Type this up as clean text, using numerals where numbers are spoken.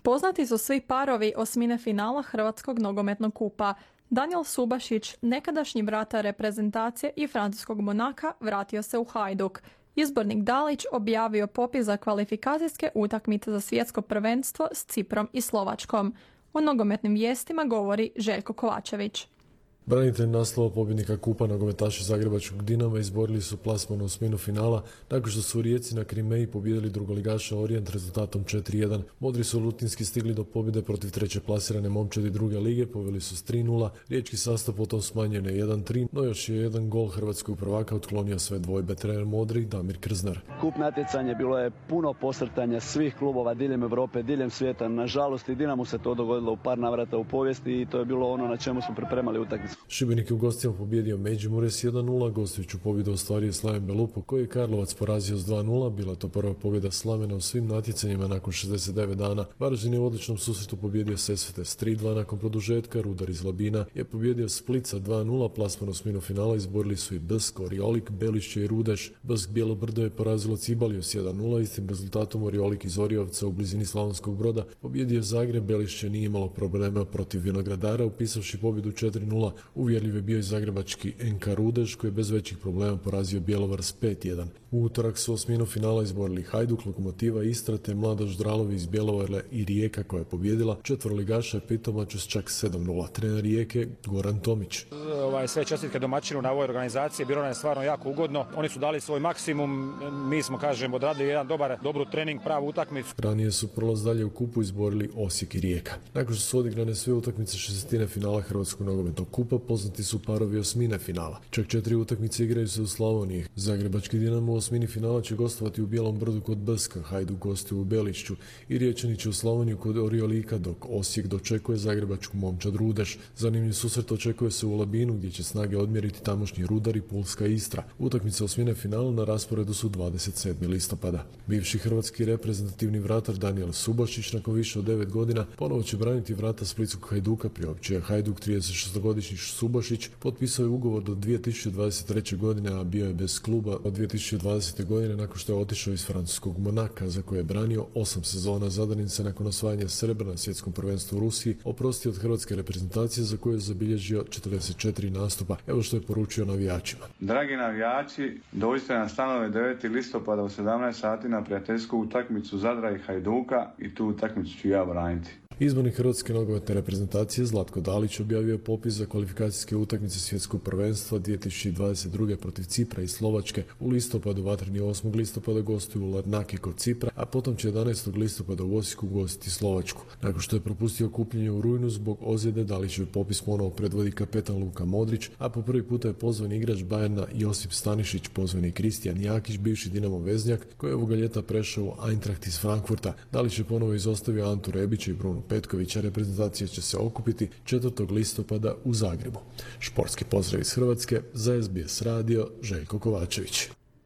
Poznati su svi parovi osmine finala Hrvatskog nogometnog kupa. Daniel Subašić, nekadašnji vratar reprezentacije i francuskog Monaka, vratio se u Hajduk. Izbornik Dalić objavio popis za kvalifikacijske utakmice za svjetsko prvenstvo s Ciprom i Slovačkom. O nogometnim vijestima govori Željko Kovačević. Branitelj naslova pobjednika kupa nogometaši Zagrebačkog Dinama izborili su plasman u osminu finala nakon što su u Rijeci na Krimeji pobijedili drugoligaša Orijent rezultatom 4-1. Modri su lutinski stigli do pobjede protiv treće plasirane momčadi druge lige, poveli su s 3-0. Riječki sastav potom smanjio na 1-3, no još je jedan gol hrvatskog prvaka otklonio sve dvojbe. Trener Modri Damir Krznar. Kup natjecanje bilo je puno posrtanja svih klubova diljem Europe, diljem svijeta. Nažalost i Dinamu se to dogodilo u par navrata u povijesti i to je bilo ono na čemu smo pripremali utakmicu. Šibenik je u gostima pobjedio Međimurje s 1-0, gostujuću pobjedu ostvario Slaven Belupo koji je Karlovac porazio s 2-0, bila to prva pobjeda Slavena u svim natjecanjima nakon 69 dana. Varaždin je u odličnom susretu pobjedio Sesvete s 3-2 nakon produžetka, Rudar iz Labina je pobjedio Split sa 2-0, plasman u osminu finala izborili su i Bsk, Oriolik, Belišće i Rudeš. Bsk Bijelo Brdo je porazilo Cibaliju s 1-0, istim rezultatom Oriolik iz Oriovca u blizini Slavonskog Broda pobjedio Zagreb, Belišće nije imalo problema protiv Vinogradara upisavši pobjedu 4-0. Uvjerljiv je bio i zagrebački NK Rudeš koji je bez većih problema porazio Bjelovar s 5-1. U utorak su osminu finala izborili Hajduk, Lokomotiva Istra te Mladoš Dralovi iz Bjelovara i Rijeka koja je pobjedila. Četveroligaša je Pitomaču s čak 7-0. Trener Rijeke Goran Tomić. Sve čestitke domaćinu na ovoj organizaciji, bilo nam je stvarno jako ugodno. Oni su dali svoj maksimum, mi smo odradili jedan dobru trening, pravu utakmicu. Ranije su prolaz dalje u kupu izborili Osijek i Rijeka. Nakon što su odigrane sve utakmice šestine finala Hrvatskog nogometnog kupa, poznati su parovi osmine finala. Čak 4 utakmice igraju se u Slavoniji. Zagrebački Dinamo u osmini finala će gostovati u Bijelom Brdu kod Bska, Hajduk gostuje u Belišću i Riječani će u Slavoniju kod Oriolika, dok Osijek dočekuje zagrebačku momčad Rudeš. Zanimljiv susret očekuje se u Labinu gdje će snage odmjeriti tamošnji Rudar i Pulska Istra. Utakmice osmine finala na rasporedu su 27. listopada. Bivši hrvatski reprezentativni vratar Daniel Subašić nakon više od 9 godina ponovo će braniti vrata splitskog Hajduka, priopćio je Hajduk. 36-godišnji Subašić potpisao je ugovor do 2023. godine, a bio je bez kluba od 2020. godine nakon što je otišao iz francuskog Monaka za koje je branio 8 sezona. Zadanin se nakon osvajanja srebra na svjetskom prvenstvu u Rusiji oprostio od hrvatske reprezentacije za koju je zabilježio 44 nastupa. Evo što je poručio navijačima. Dragi navijači, dođite na stanove 9. listopada u 17 sati na prijateljsku utakmicu Zadra i Hajduka i tu utakmicu ću ja braniti. Izbornik hrvatske nogometne reprezentacije Zlatko Dalić objavio je popis za kvalifikacijske utakmice svjetskog prvenstva 2022. protiv Cipra i Slovačke. U listopadu vatreni 8. listopada gostuju u Larnaki kod Cipra, a potom će 11. listopada u Osijeku gostiti Slovačku. Nakon što je propustio kupljenje u rujnu zbog ozljede, Dalićev popis ponovo predvodi kapetan Luka Modrić, a po prvi puta je pozvan igrač Bayerna Josip Stanišić, pozvani Kristijan Jakić, bivši Dinamo veznjak, koji je ovoga ljeta prešao u Eintracht iz Frankfurta. Dalić je ponovo izostavio Antu Rebića i Brunu Petkovića. Reprezentacija će se okupiti 4. listopada u Zagrebu. Športski pozdrav iz Hrvatske, za SBS radio Željko Kovačević.